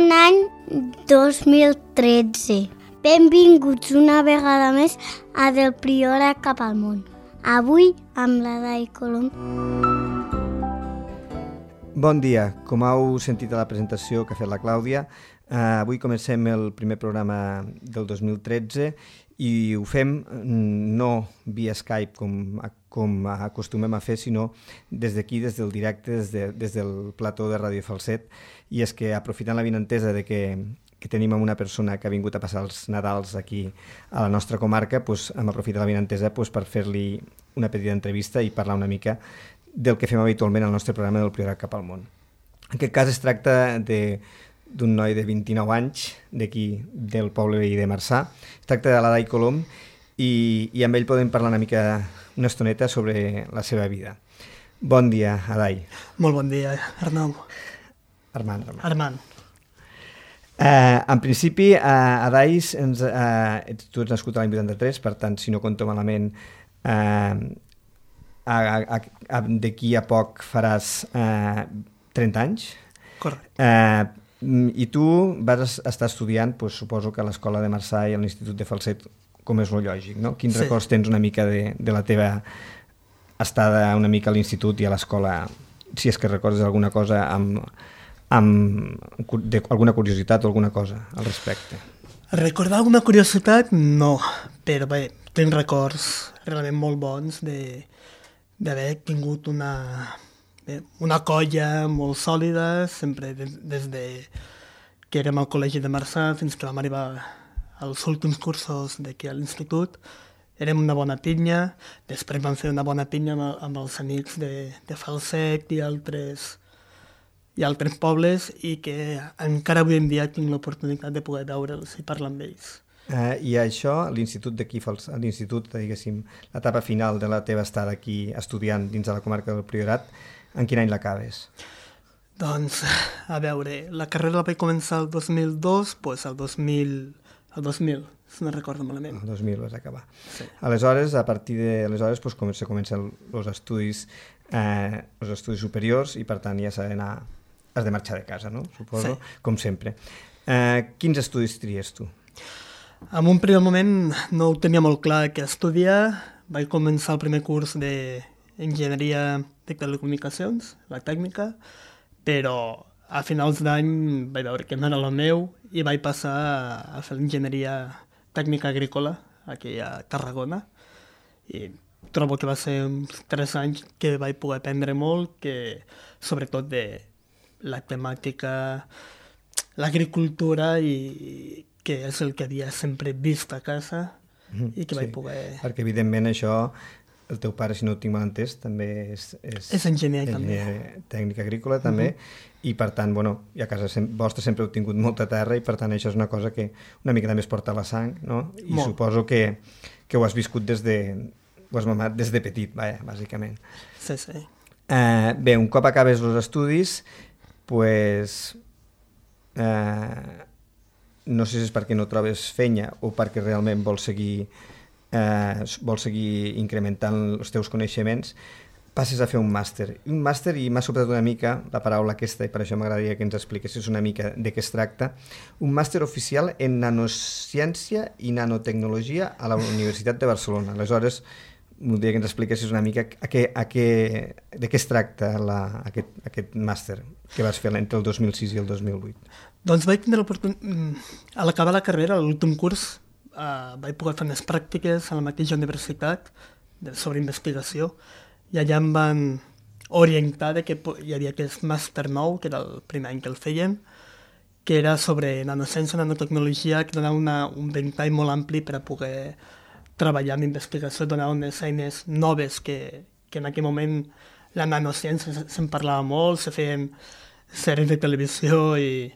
Bon any 2013. Benvinguts una vegada més a Del Priorat cap al món. Avui amb la Dai Colom. Bon dia, com heu sentit a la presentació que ha fet la Clàudia, avui comencem el primer programa del 2013 i ho fem no via Skype com acostumem a fer, sinó des d'aquí, des del directe, des del plató de Ràdio Falset. I és que, aprofitant l'avinentesa de que tenim una persona que ha vingut a passar els Nadals aquí a la nostra comarca, hem aprofitat l'avinentesa per fer-li una petita entrevista i parlar una mica del que fem habitualment al nostre programa del Priorat cap al món. En aquest cas es tracta d'un noi de 29 anys, d'aquí, del poble veí de Marçà. Es tracta de la Dai Colom i amb ell podem parlar una mica, una estoneta, sobre la seva vida. Bon dia, Adai. Molt bon dia, Arnau. Armand. En principi, Adai, tu ets nascut l'any 83, per tant, si no compto malament, d'aquí a poc faràs 30 anys. Correcte. I tu vas estar estudiant, suposo que a l'Escola de Marçà i a l'Institut de Falset, com és lo lògic, no? Quins records tens una mica de la teva estada una mica a l'institut i a l'escola, si és que recordes alguna cosa amb alguna curiositat o alguna cosa al respecte? Recordar alguna curiositat, no, però bé, tinc records realment molt bons d'haver tingut una colla molt sòlida, sempre des que érem al col·legi de Marçà fins que vam arribar als últims cursos d'aquí a l'institut. Érem una bona pinya, després vam fer una bona pinya amb els amics de Falset i altres pobles, i que encara avui en dia tinc l'oportunitat de poder veure'ls i parlar amb ells. I això, l'institut d'aquí, l'institut, diguéssim, l'etapa final de la teva estada aquí estudiant dins de la comarca del Priorat, en quin any l'acabes? Doncs, a veure, la carrera la vaig començar el 2002, doncs el 2000, si no recordo malament. El 2000 vas acabar. Sí. Aleshores, a partir d'aleshores, comencen els estudis superiors i, per tant, ja has de marxar de casa, no? Suposo, sí. Com sempre. Quins estudis tries tu? En un primer moment no ho tenia molt clar què estudiar. Vaig començar el primer curs d'enginyeria de telecomunicacions, la tècnica, però a finals d'any vaig veure que no era el meu i vaig passar a fer l'enginyeria tècnica agrícola aquí a Tarragona, i trobo que va ser uns 3 anys que vaig poder aprendre molt, sobretot de la temàtica, l'agricultura, i que és el que havia sempre vist a casa i que vaig poder... Perquè, evidentment, això, el teu pare, si no ho tinc mal entès, també és enginyer també. Tècnic agrícola, també, i per tant, i a casa vostra sempre heu tingut molta terra, i per tant això és una cosa que una mica també es porta a la sang, no? I molt. Suposo que ho has viscut ho has mamat des de petit, bàsicament. Sí. Bé, un cop acabes els estudis, no sé si és perquè no trobes feina o perquè realment vols seguir incrementant els teus coneixements, passes a fer un màster. I m'ha sobtat una mica la paraula aquesta, i per això m'agradaria que ens expliquessis una mica de què es tracta. Un màster oficial en nanociència i nanotecnologia a la Universitat de Barcelona. Aleshores, voldria que ens expliquessis una mica de què es tracta aquest màster que vas fer entre el 2006 i el 2008. Doncs vaig tindre l'oportunitat, a l'acabar la carrera, a l'últim curs, vaig poder fer unes pràctiques a la mateixa universitat sobre investigació, i allà em van orientar que hi havia aquest màster nou, que era el primer any que el feien, que era sobre nanociència i nanotecnologia, que donava un ventall molt ampli per a poder treballar en investigació, donava unes eines noves que en aquell moment la nanociència se'n parlava molt, se feien sèries de televisió i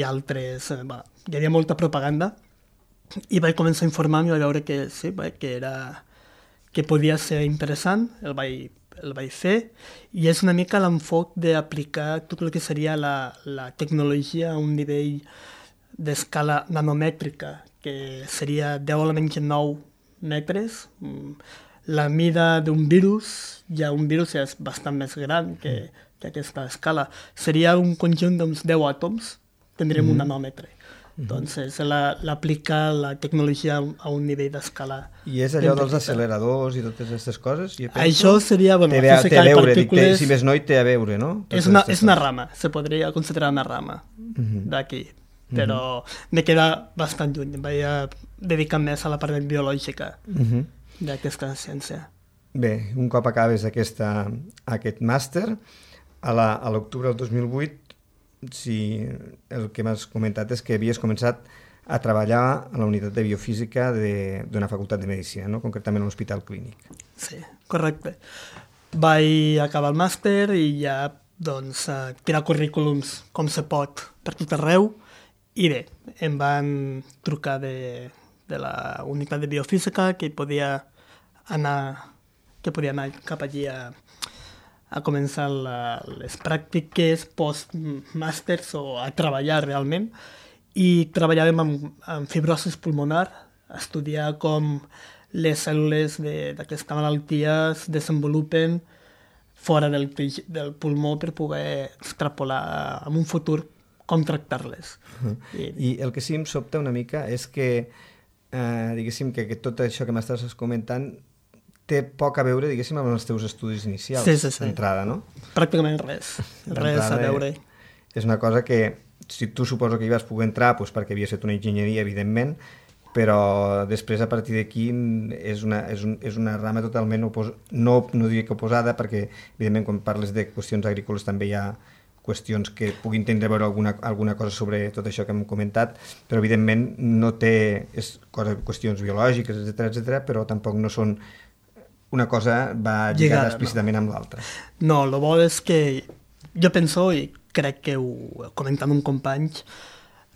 altres... hi havia molta propaganda, i vaig començar a informar-me i vaig veure que sí, que podia ser interessant, el vaig fer, i és una mica l'enfoc d'aplicar tot el que seria la tecnologia a un nivell d'escala nanomètrica, que seria 10 a la menys 9 metres. La mida d'un virus, un virus ja és bastant més gran que aquesta escala. Seria un conjunt d'uns 10 àtoms tindríem un nanòmetre. Entonces, l'aplica la tecnologia a un nivell d'escala. I és allò dels acceleradors i totes aquestes coses? Això seria, bueno, física de partícules... Si més no, hi té a veure, no? És una rama, se podria considerar una rama d'aquí, però me queda bastant lluny. Em vaig dedicar més a la part biològica d'aquesta ciència. Bé, un cop acabes aquest màster, a l'octubre del 2008, si el que m'has comentat és que havies començat a treballar a la unitat de biofísica d'una facultat de medicina, no? Concretament a l'Hospital Clínic. Sí, correcte. Vaig acabar el màster i ja doncs, tirar currículums com se pot per tot arreu i bé, em van trucar de la unitat de biofísica que podia anar cap allí a començar les pràctiques post-màsters o a treballar realment. I treballàvem amb fibrosis pulmonar, a estudiar com les cèl·lules d'aquesta malaltia es desenvolupen fora del pulmó per poder extrapolar en un futur com tractar-les. I el que sí em sobta una mica és que, diguéssim, que tot això que m'estàs comentant té poc a veure, diguéssim, amb els teus estudis inicials, d'entrada, no? Pràcticament res a veure. És una cosa que, si tu suposo que hi vas poder entrar perquè havies fet una enginyeria, evidentment, però després, a partir d'aquí, és una rama totalment no diria que oposada, perquè, evidentment, quan parles de qüestions agrícoles també hi ha qüestions que puguin tindre a veure alguna cosa sobre tot això que hem comentat, però, evidentment, no té qüestions biològiques, etc., però tampoc no són una cosa va lligada explícitament amb l'altra. No, el bo és que jo penso, i crec que ho he comentat amb un company,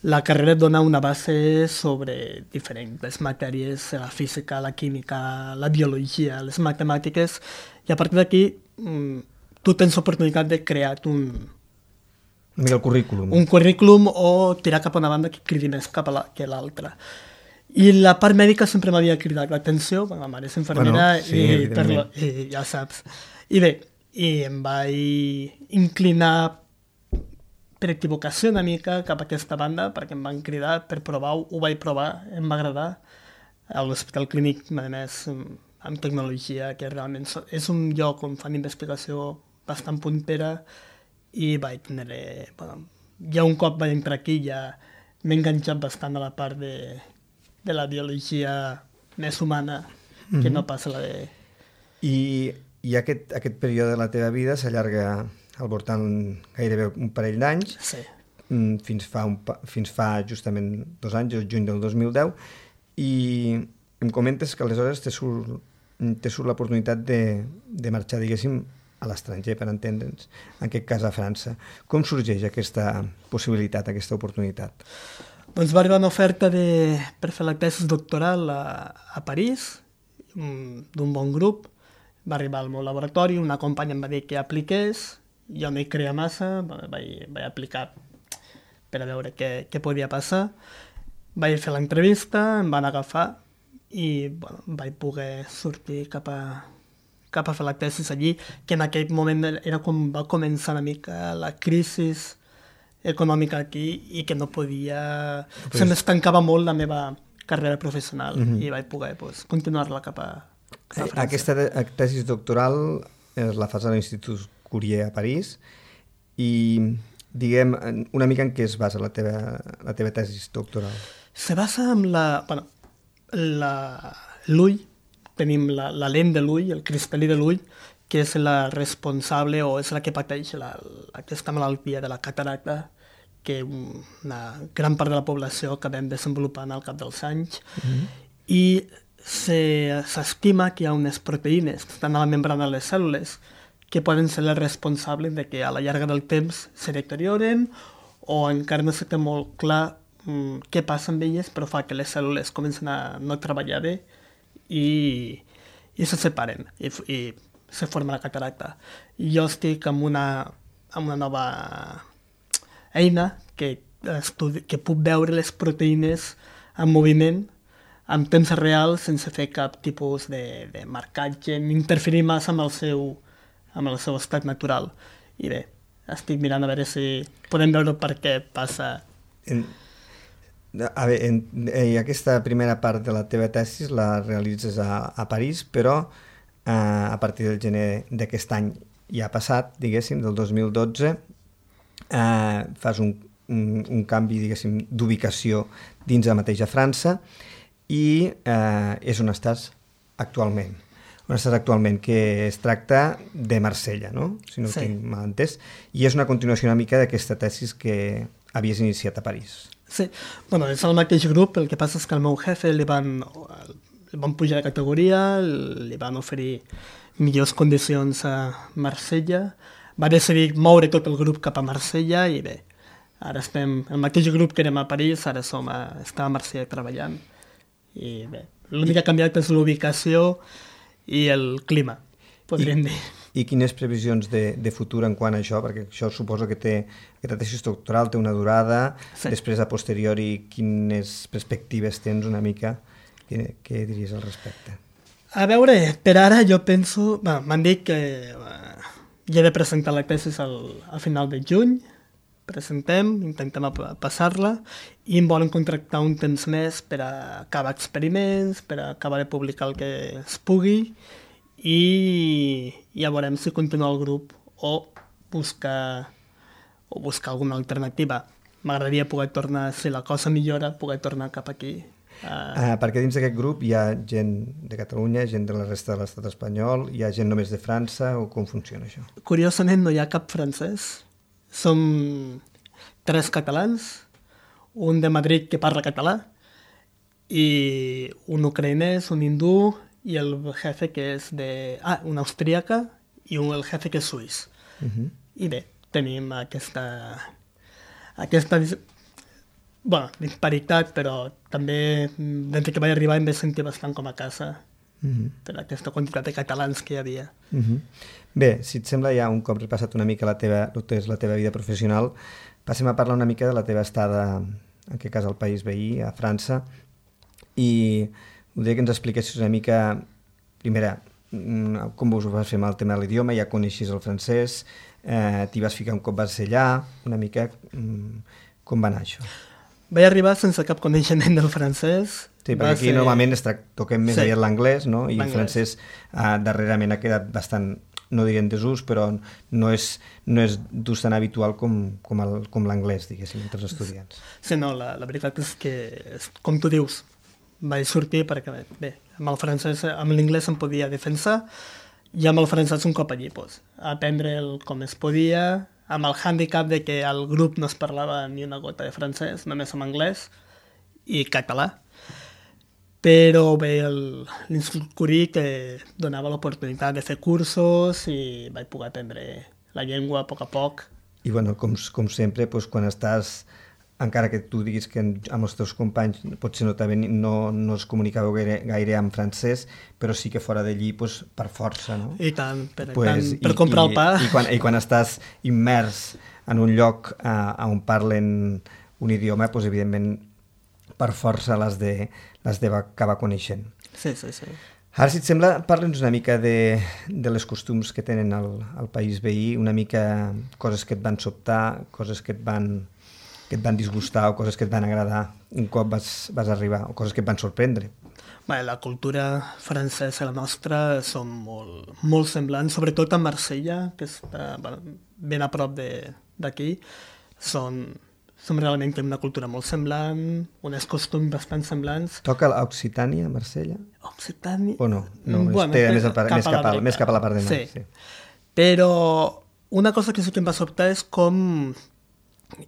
la carrera et dona una base sobre diferents matèries, la física, la química, la biologia, les matemàtiques, i a partir d'aquí tu tens l'oportunitat de crear un currículum o tirar cap a una banda que cridi més que l'altra. I la part mèdica sempre m'havia cridat l'atenció, la mare és infermera i ja saps. I bé, em vaig inclinar per equivocació una mica cap a aquesta banda, perquè em van cridar per provar, ho vaig provar, em va agradar. A l'Hospital Clínic, a més, amb tecnologia, que realment és un lloc on fan investigació bastant puntera, i vaig tenir... Ja un cop vaig entrar aquí, ja m'he enganxat bastant a la part de la biologia més humana que no passa la de... I aquest període de la teva vida s'allarga al voltant gairebé un parell d'anys, fins fa justament 2 anys, el juny del 2010, i em comentes que aleshores te surt l'oportunitat de marxar, diguéssim, a l'estranger, per entendre'ns, en aquest cas a França. Com sorgeix aquesta possibilitat, aquesta oportunitat? Doncs va arribar una oferta per fer la tesi doctoral a París, d'un bon grup. Va arribar al meu laboratori, una companya em va dir que apliqués, jo no hi creia massa, vaig aplicar per a veure què podia passar. Vaig fer l'entrevista, em van agafar i vaig poder sortir cap a fer la tesi allí, que en aquell moment era quan va començar una mica la crisi econòmica aquí i que no podia... Se m'estancava molt la meva carrera professional i vaig poder continuar-la cap a França. Aquesta tesi doctoral la fas a l'Institut Curie a París i, diguem, una mica en què es basa la teva tesi doctoral? Se basa en l'ull, tenim la lent de l'ull, el cristal·lí de l'ull, que és la responsable o és la que pateix aquesta malaltia de la cataracta que una gran part de la població acabem desenvolupant al cap dels anys. I s'estima que hi ha unes proteïnes que estan a la membrana de les cèl·lules que poden ser les responsables de que a la llarga del temps se deterioren o encara no se té molt clar què passa amb elles, però fa que les cèl·lules comencen a no treballar bé i se separen i se forma la cataracta. I jo estic amb una nova eina que puc veure les proteïnes en moviment en temps real sense fer cap tipus de marcatge ni interferir massa amb el seu estat natural. I bé, estic mirant a veure si podem veure per què passa Aquesta primera part de la teva tesi la realitzes a París, però a partir del gener d'aquest any ja passat, diguéssim, del 2012, fas un canvi, diguéssim, d'ubicació dins la mateixa França i és on estàs actualment. On estàs actualment, que es tracta de Marsella, no? Si no ho tinc mal entès. I és una continuació una mica d'aquesta tesis que havies iniciat a París. Sí, bueno, és el mateix grup, el que passa és que al meu jefe li van pujar de categoria, li van oferir millors condicions a Marsella, va decidir moure tot el grup cap a Marsella i bé, ara estem, el mateix grup que érem a París, ara estem a Marsella treballant i bé, l'únic que ha canviat és l'ubicació i el clima, podríem dir. I quines previsions de futur en quant a això? Perquè això suposo que aquesta tesi doctoral té una durada, després a posteriori quines perspectives tens una mica, què diries al respecte? A veure, per ara jo penso, m'han dit que ja he de presentar la tesi al final de juny, intentem passar-la i em volen contractar un temps més per a acabar experiments, per a acabar de publicar el que es pugui i ja veurem si continua el grup o buscar alguna alternativa. M'agradaria poder tornar, si la cosa millora, poder tornar cap aquí. Perquè dins d'aquest grup hi ha gent de Catalunya, gent de la resta de l'estat espanyol, hi ha gent només de França, o com funciona això? Curiosament no hi ha cap francès. Som 3 catalans, un de Madrid que parla català, i un ucraïnès, un hindú, i el jefe que és una austríaca, i el jefe que és suís. I bé, tenim aquesta disparitat, però també, des que vaig arribar, em vaig sentir bastant com a casa per aquesta quantitat de catalans que hi havia. Bé, si et sembla, ja un cop repassat una mica la teva vida professional, passem a parlar una mica de la teva estada, en aquest cas al país veí, a França, i voldria que ens expliquessis una mica, primera, com us ho vas fer amb el tema de l'idioma, ja coneixies el francès, t'hi vas ficar un cop vas ser allà, una mica com va anar això? Vaig arribar sense cap coneixement del francès. Sí, perquè aquí normalment toquem més aviat l'anglès, no? I el francès darrerament ha quedat bastant, no diré en desús, però no és d'ús tan habitual com l'anglès, diguéssim, entre els estudiants. Sí, no, la veritat és que, com tu dius, vaig sortir perquè, bé, amb l'inglès em podia defensar i amb el francès un cop allí, aprendre com es podia, amb el hàndicap de que al grup no es parlava ni una gota de francès, només en anglès i català. Però bé, l'Institut Curie que donava l'oportunitat de fer cursos i vaig poder aprendre la llengua a poc. I bueno, com sempre, quan estàs, encara que tu diguis que amb els teus companys potser no es comunicàveu gaire en francès, però sí que fora d'allí per força, no? I tant, per comprar el pa. I quan estàs immers en un lloc on parlen un idioma, evidentment per força l'has d'acabar coneixent. Sí. Ara, si et sembla, parla'ns una mica de les costums que tenen al país veí, una mica coses que et van sobtar, coses que et van disgustar o coses que et van agradar un cop vas arribar, o coses que et van sorprendre. Bé, la cultura francesa i la nostra són molt semblants, sobretot a Marsella, que està ben a prop d'aquí. Som realment una cultura molt semblant, uns costums bastant semblants. Toca l'Occitània, Marsella? Occitània? O no? Més cap a la part de mar. Sí. Però una cosa que sí que em va sobtar és com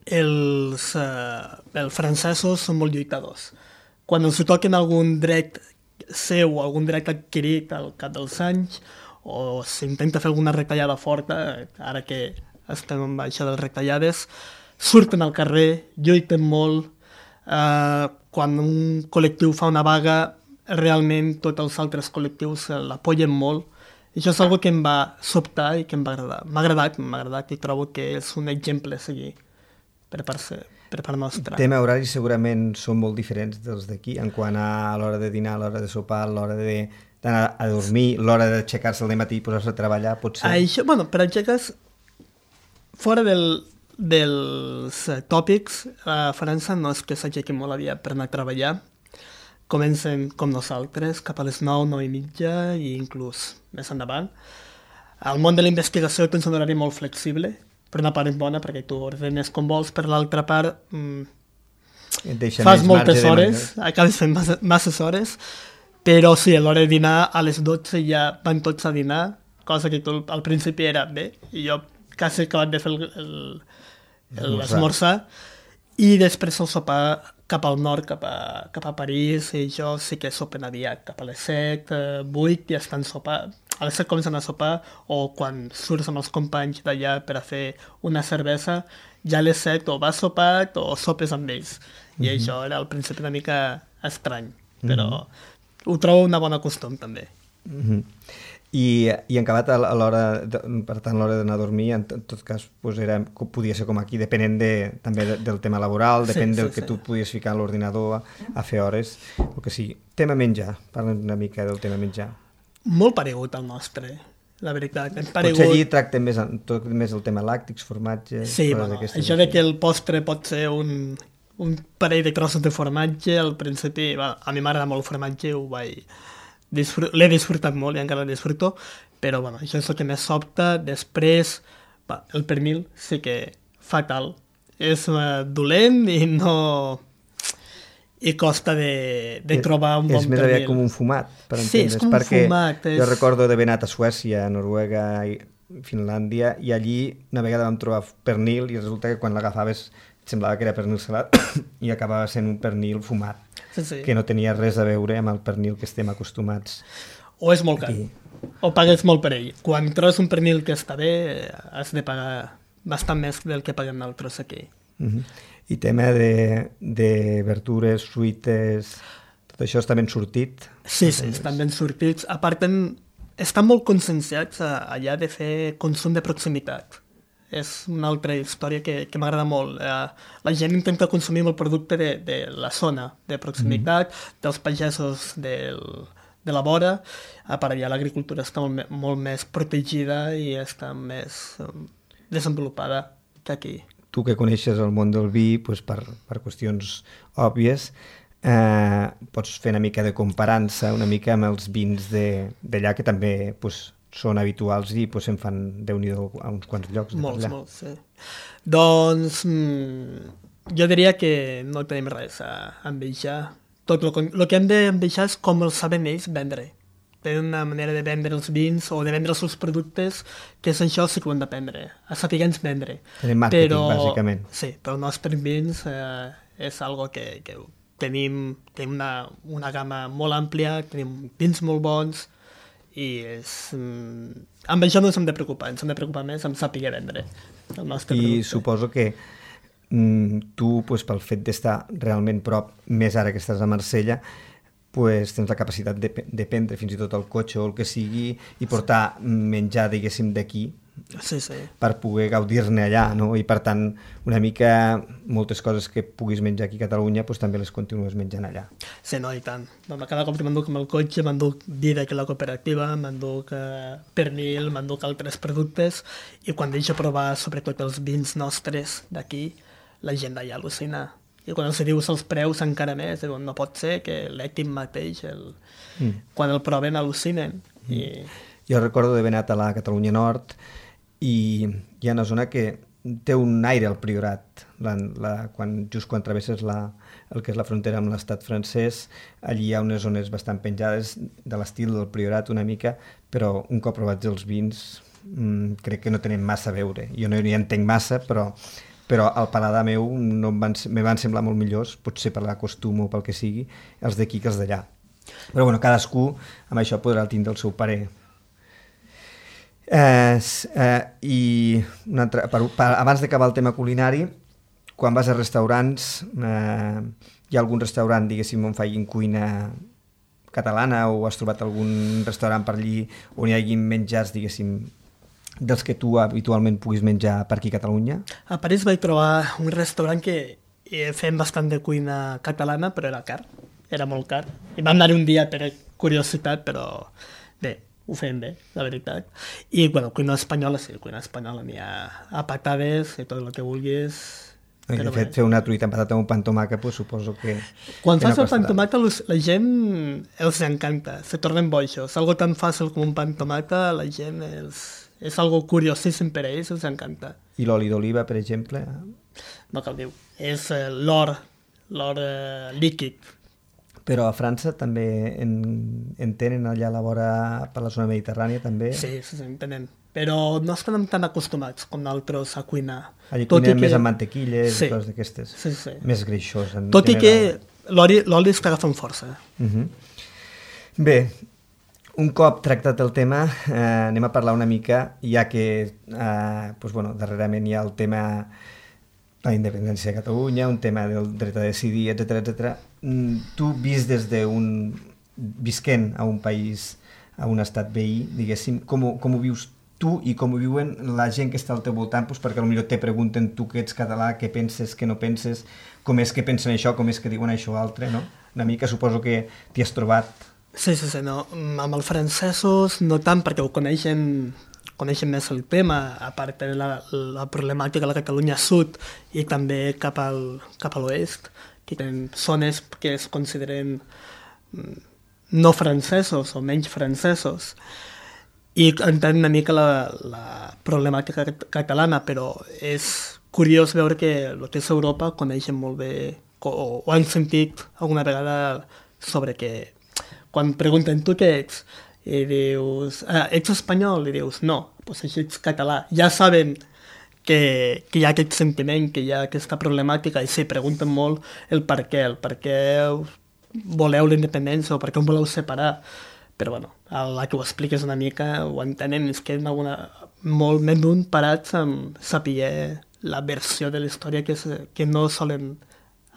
els francesos són molt lluitadors. Quan els toquen algun dret seu o algun dret adquirit al cap dels anys, o s'intenta fer alguna retallada forta, ara que estem en baixa de les retallades, surten al carrer, lluiten molt. Quan un col·lectiu fa una vaga, realment tots els altres col·lectius l'apoyen molt. I això és una que em va sobtar i que em va agradar. M'ha agradat i trobo que és un exemple a seguir per part nostra. Tema horaris segurament són molt diferents dels d'aquí, en quant a l'hora de dinar, l'hora de sopar, l'hora d'anar a dormir, l'hora d'aixecar-se al matí i posar-se a treballar, potser. Això, per aixecar-se, fora del dels tòpics a França no és que s'aixequi molt aviat per anar a treballar. Comencen com nosaltres, cap a les 9, 9 i mitja i inclús més endavant. El món de la investigació tens un horari molt flexible, per una part és bona perquè tu ordenes com vols, per l'altra part fas moltes hores, acabes fent masses hores, però sí, a l'hora de dinar a les 12 ja van tots a dinar, cosa que tu al principi era bé, i jo quasi he acabat de fer l'esmorzar, i després el sopar cap al nord, cap a París, i jo sí que sopen aviat, cap a les 7, 8, ja estan sopar. A les 7 comencen a sopar, o quan surts amb els companys d'allà per a fer una cervesa, ja a les 7 o vas sopat o sopes amb ells. I això era al principi una mica estrany, però ho trobo una bona costum també. I en acabat a l'hora, per tant, l'hora d'anar a dormir, en tot cas, podia ser com aquí, depenent també del tema laboral, depèn del que tu podies ficar a l'ordinador a fer hores, el que sigui. Tema menjar, parla'ns una mica del tema menjar. Molt paregut al nostre, la veritat. Potser allí tracten tot més el tema làctics, formatges... Sí, bueno, això de que el postre pot ser un parell de trossos de formatge, al principi, a mi m'agrada molt el formatge, l'he disfrutat molt i encara el disfruto, però bueno, això és el que més sobta. Després, el pernil sí que fatal. És dolent i no... i costa de trobar un bon pernil. És més aviat com un fumat, per entendre's. Sí, és com un fumat. Jo recordo d'haver anat a Suècia, Noruega i Finlàndia, i allí una vegada vam trobar pernil i resulta que quan l'agafaves et semblava que era pernil salat i acabava sent un pernil fumat, que no tenia res a veure amb el pernil que estem acostumats. O és molt car, o pagues molt per ell. Quan trobes un pernil que està bé, has de pagar bastant més del que paguem nosaltres aquí. I tema de verdures, fruites, tot això està ben sortit? Sí, estan ben sortits. A part, estan molt conscienciats allà de fer consum de proximitat. És una altra història que m'agrada molt. La gent intenta consumir el producte de la zona de proximitat, dels pagesos de la vora. A part, allà l'agricultura està molt més protegida i està més desenvolupada que aquí. Tu que coneixes el món del vi, per qüestions òbvies, pots fer una mica de comparança una mica amb els vins d'allà que també són habituals i se'n fan Déu-n'hi-do a uns quants llocs. Molts, sí. Doncs jo diria que no tenim res a envejar. Tot el que hem d'envejar és com el saben ells vendre. Tenen una manera de vendre els vins o de vendre els seus productes, que és això sí que ho hem d'aprendre, a saber-nos vendre. Tenim màrqueting, bàsicament. Sí, però els nostres vins és algo que tenim una gamma molt àmplia, tenim vins molt bons i amb això no ens hem de preocupar, ens hem de preocupar més amb saber vendre el nostre producte. I suposo que tu, pel fet d'estar realment prop, més ara que estàs a Marsella, tens la capacitat de prendre fins i tot el cotxe o el que sigui i portar menjar, diguéssim, d'aquí per poder gaudir-ne allà, no? I per tant, una mica moltes coses que puguis menjar aquí a Catalunya també les continues menjant allà. Sí, no, i tant. Cada cop que m'enduc amb el cotxe, m'enduc vi d'aquí la cooperativa, m'enduc pernil, m'enduc altres productes, i quan deixo provar sobretot els vins nostres d'aquí, la gent d'allà al·lucina. I quan els dius els preus encara més, no pot ser que l'ètim mateix, quan el proven al·lucinen. Jo recordo d'haver anat a la Catalunya Nord i hi ha una zona que té un aire al Priorat. Just quan travesses el que és la frontera amb l'estat francès, allí hi ha unes zones bastant penjades de l'estil del Priorat una mica, però un cop provats els vins crec que no tenen massa a veure. Jo no hi entenc massa, però al paladar meu me van semblar molt millors, potser per la costum o pel que sigui, els d'aquí que els d'allà. Però bueno, cadascú amb això podrà tindre el seu parer. I abans d'acabar el tema culinari, quan vas a restaurants, hi ha algun restaurant, diguéssim, on facin cuina catalana o has trobat algun restaurant per allí on hi hagi menjars, diguéssim, dels que tu habitualment puguis menjar per aquí a Catalunya? A París vaig trobar un restaurant que feien bastant de cuina catalana, però era car, era molt car. I vam anar un dia per curiositat, però bé, ho fem bé, la veritat. I, bueno, cuina espanyola, sí, cuina espanyola n'hi ha a patades i tot el que vulguis. I de fet, fer una truita amb patata amb un pa amb tomàquet, pues, suposo que... Quan que fas no el pa amb costa tant. tomàquet, la gent els encanta, se tornen bojos. Algo tan fàcil com un pa amb tomàquet, la gent és algo curiosíssim per a ells, els encanta. I l'oli d'oliva, per exemple? No cal dir, és l'or líquid. Però a França també en tenen allà a la vora per la zona mediterrània, també? Sí, en tenen. Però no estan tan acostumats com nosaltres a cuinar. Allà cuinen més amb mantequilles i coses d'aquestes. Sí. Més greixós. Tot i que l'oli està agafant força. Bé, un cop tractat el tema, anem a parlar una mica, ja que darrerament hi ha el tema de la independència de Catalunya, un tema del dret a decidir, etc. Tu visquent a un país, a un estat veí, diguéssim, com ho vius tu i com ho viuen la gent que està al teu voltant, doncs perquè potser te pregunten tu que ets català, què penses, què no penses, com és que pensen això, com és que diuen això altre, no? Una mica suposo que t'hi has trobat. Sí, no. Amb els francesos no tant, perquè ho coneixen més el tema, a part de la problemàtica de la Catalunya Sud i també cap a l'oest, que tenen zones que es consideren no francesos o menys francesos, i entenen una mica la problemàtica catalana, però és curiós veure que el que és Europa coneixen molt bé o han sentit alguna vegada sobre que quan pregunten tu què ets i dius, ets espanyol? I dius, no, doncs així ets català. Ja saben que hi ha aquest sentiment, que hi ha aquesta problemàtica, i sí, pregunten molt el per què voleu la independència o per què em voleu separar. Però bueno, a la que ho expliques una mica ho entenen, és que molt més d'un parats amb saber la versió de la història que no solen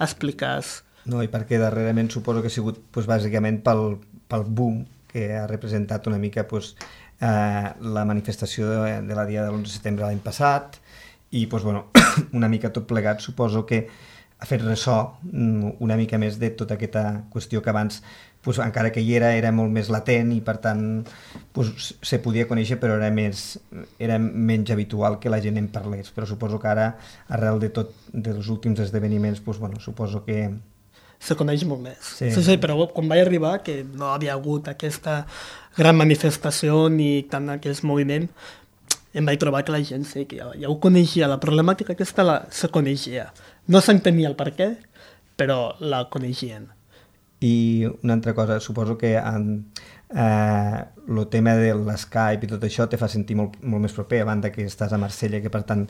explicar. No, i perquè darrerament suposo que ha sigut bàsicament pel boom que ha representat una mica la manifestació de la dia de l'11 de setembre l'any passat i una mica tot plegat suposo que ha fet ressò una mica més de tota aquesta qüestió que abans encara que hi era molt més latent i per tant se podia conèixer però era menys habitual que la gent en parlés, però suposo que ara arrel dels últims esdeveniments suposo que se coneix molt més. Sí, però quan vaig arribar, que no havia hagut aquesta gran manifestació ni tant aquest moviment, em vaig trobar que la gent sí, que ja ho coneixia, la problemàtica aquesta se coneixia. No s'entenia el per què, però la coneixien. I una altra cosa, suposo que el tema de l'Skype i tot això te fa sentir molt més proper, a banda que estàs a Marsella, que per tant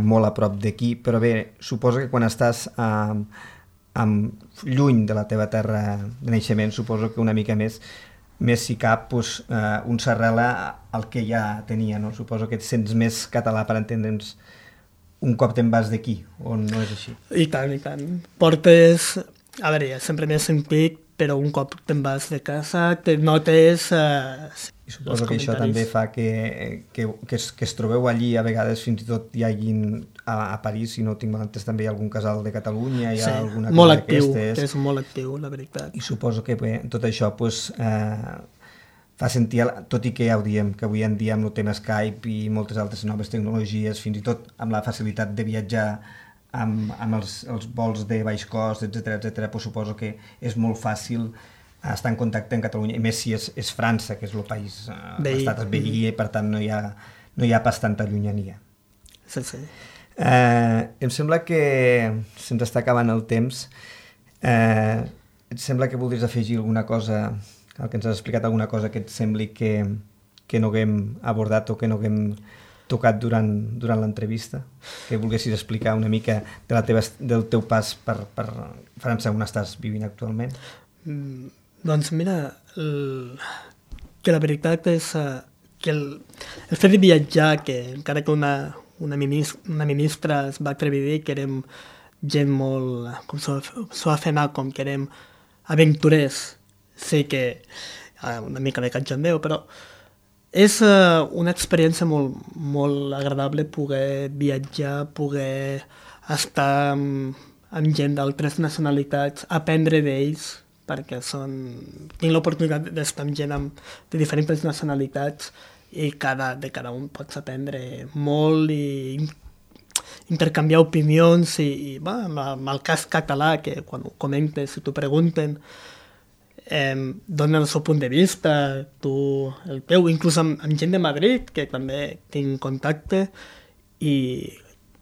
molt a prop d'aquí, però bé, suposo que quan estàs lluny de la teva terra de naixement, suposo que una mica més si cap, un s'arrela al que ja tenia, no? Suposo que et sents més català per entendre'ns un cop te'n vas d'aquí, o no és així? I tant. Portes... A veure, sempre m'he sentit, però un cop te'n vas de casa, te notes... I suposo que això també fa que es trobeu allí, a vegades fins i tot hi hagin a París, si no ho tinc mal entès, també hi ha algun casal de Catalunya, hi ha alguna cosa molt actiu, d'aquestes. és molt actiu, la veritat. I suposo que tot això fa sentir, tot i que ja ho diem, que avui en dia amb el tema Skype i moltes altres noves tecnologies, fins i tot amb la facilitat de viatjar amb els vols de baix cost, etc., suposo que és molt fàcil estar en contacte amb Catalunya, i més si és França, que és el país, l'estat veí, i per tant no hi ha pas tanta llunyania. Sí. Em sembla que se'ns està acabant el temps. Et sembla que voldries afegir alguna cosa, el que ens has explicat, alguna cosa que et sembli que no haguem abordat o que no haguem tocat durant l'entrevista, que volguessis explicar una mica del teu pas per França, on estàs vivint actualment? Doncs mira, que la veritat és que el fet de viatjar, que encara que una ministra es va atrevir a dir que érem gent molt, com s'ho va fer anar, com que érem aventurers, sé que una mica de catxandeu, però és una experiència molt, molt agradable poder viatjar, poder estar amb gent d'altres nacionalitats, aprendre d'ells, perquè tinc l'oportunitat d'estar amb gent de diferents nacionalitats i de cada un pots aprendre molt i intercanviar opinions i amb el cas català, que quan ho comentes, si t'ho pregunten, donen el seu punt de vista, tu el teu, inclús amb gent de Madrid, que també tinc contacte, i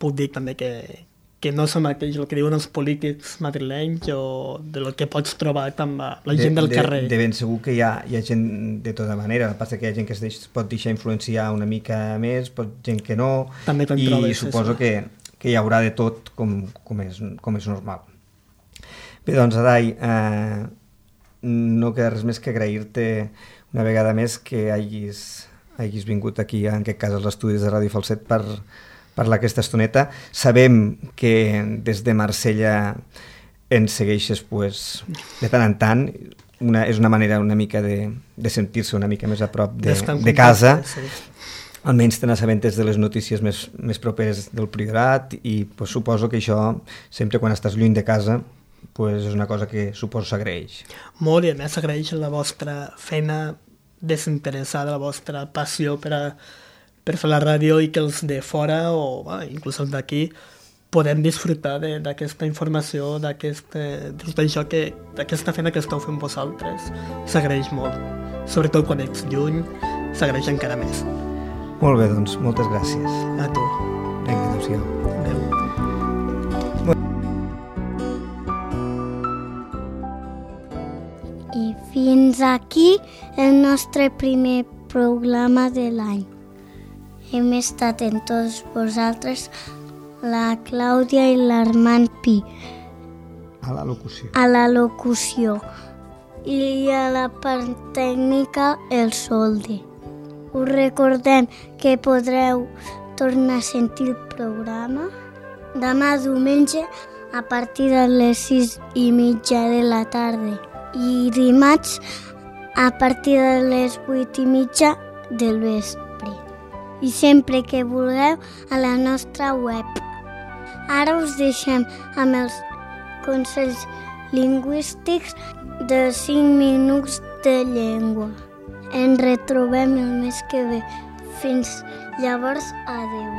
puc dir també que no és el mateix el que diuen els polítics madrilenys o de lo que pots trobar amb la gent del carrer. De ben segur que hi ha gent de tota manera, el que passa que hi ha gent que es pot deixar influenciar una mica més, gent que no, també i suposo que hi haurà de tot com és normal. Bé, doncs, Aday, no queda res més que agrair-te una vegada més que hagis vingut aquí, en aquest cas als estudis de Ràdio Falset, per parlar aquesta estoneta. Sabem que des de Marsella ens segueixes de tant en tant. És una manera una mica de sentir-se una mica més a prop de casa. Sí. Almenys te n'assabentes de les notícies més properes del Priorat i suposo que això, sempre quan estàs lluny de casa, és una cosa que suposo s'agraeix. Molt, i a més s'agraeix la vostra feina desinteressada, la vostra passió per fer la ràdio i que els de fora o inclús els d'aquí podem disfrutar d'aquesta informació, d'aquesta feina que esteu fent vosaltres. S'agraeix molt. Sobretot quan ets lluny, s'agraeix encara més. Molt bé, doncs, moltes gràcies. A tu. Vinga, adéu-siau. Adéu. I fins aquí el nostre primer programa de l'any. Hem estat amb tots vosaltres la Clàudia i l'Armand Pi. A la locució. A la locució. I a la part tècnica el Solde. Us recordem que podreu tornar a sentir el programa demà diumenge a partir de les 6:30 de la tarda i dimarts a partir de les 8:30 del vespre. I sempre que vulgueu a la nostra web. Ara us deixem amb els consells lingüístics de 5 minuts de llengua. Ens retrobem el mes que ve. Fins llavors, adeu.